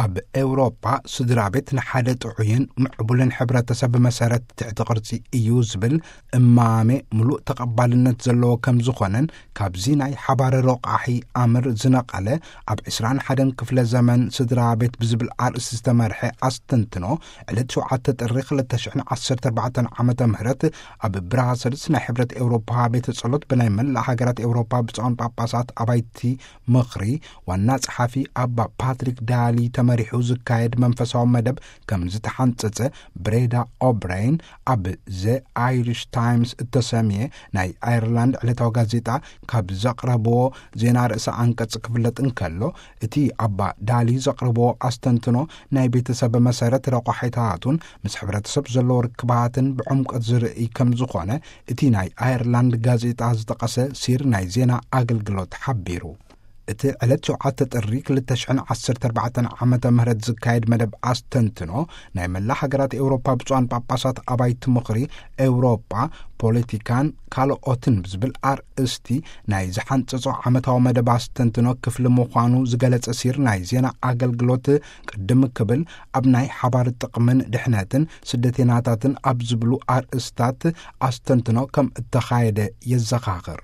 ኣብ ኤውሮጳ ስድራ ቤት ንሓደ ጥዑይን ምዕቡልን ሕብረተሰብ መሰረት ትሕቲ ቅርጺ እዩ ዝብል እማሜ ምሉእ ተቐባልነት ዘለዎ ከም ዝኾነን፣ ካብዚ ናይ ሓባር ረቋሒ ኣምር ዝነቐለ ኣብ ዕስራን ሓደን ክፍለ ዘመን ስድራ ቤት ብዝብል ኣርእስቲ ዝተመርሐ ኣስተንትኖ፣ ዕለት ሸውዓተ ጥሪ ክልተ ሽሕን ዓሰርተ ኣርባዕተን ዓመተ ምህረት ኣብ ብራሰልስ ናይ ሕብረት ኤውሮፓ ቤተ ጸሎት ብናይ መላእ ሃገራት ኤውሮፓ ብፁዓን ጳጳሳት ኣባይቲ ምኽሪ ዋና ጸሓፊ ኣባ ፓትሪክ ዳሊ ተመሪሑ ዝካየድ መንፈሳዊ መደብ ከም ዝተሓንጸጸ ብሬዳ ኦብራይን ኣብ ዘ ኣይሪሽ ታይምስ እተሰምየ ናይ ኣየርላንድ ዕለታዊ ጋዜጣ ካብ ዘቕረብዎ ዜና ርእሰ ኣንቀጽ ክፍለጥ እንከሎ፣ እቲ ኣባ ዳሊ ዘቕረብዎ ኣስተንትኖ ናይ ቤተሰብ መሰረት ረቋሒታቱን ምስ ሕብረተሰብ ዘለዎ ርክባትን ብዕምቆት ዝርእይ ከም ዝኾነ እቲ ናይ ኣየርላንድ ጋዜጣ ዝጠቐሰ ሲር ናይ ዜና ኣገልግሎት ሓቢሩ። እቲ ዕለት ሸውዓተ ጥሪ ክልተ ሽሕን ዓሰርተ ኣርባዕተን ዓመተ ምህረት ዝካየድ መደብ ኣስተንትኖ፣ ናይ መላ ሃገራት ኤውሮፓ ብፁዓን ጳጳሳት ኣባይቲ ምኽሪ ኤውሮፓ፣ ፖለቲካን ካልኦትን ብዝብል ኣርእስቲ ናይ ዝሓንጸጾ ዓመታዊ መደብ ኣስተንትኖ ክፍሊ ምዃኑ ዝገለጸ ሲር ናይ ዜና ኣገልግሎት፣ ቅድም ክብል ኣብ ናይ ሓባር ጥቕምን ድሕነትን ስደተይናታትን ኣብ ዝብሉ ኣርእስታት ኣስተንትኖ ከም እተኻየደ የዘኻኽር።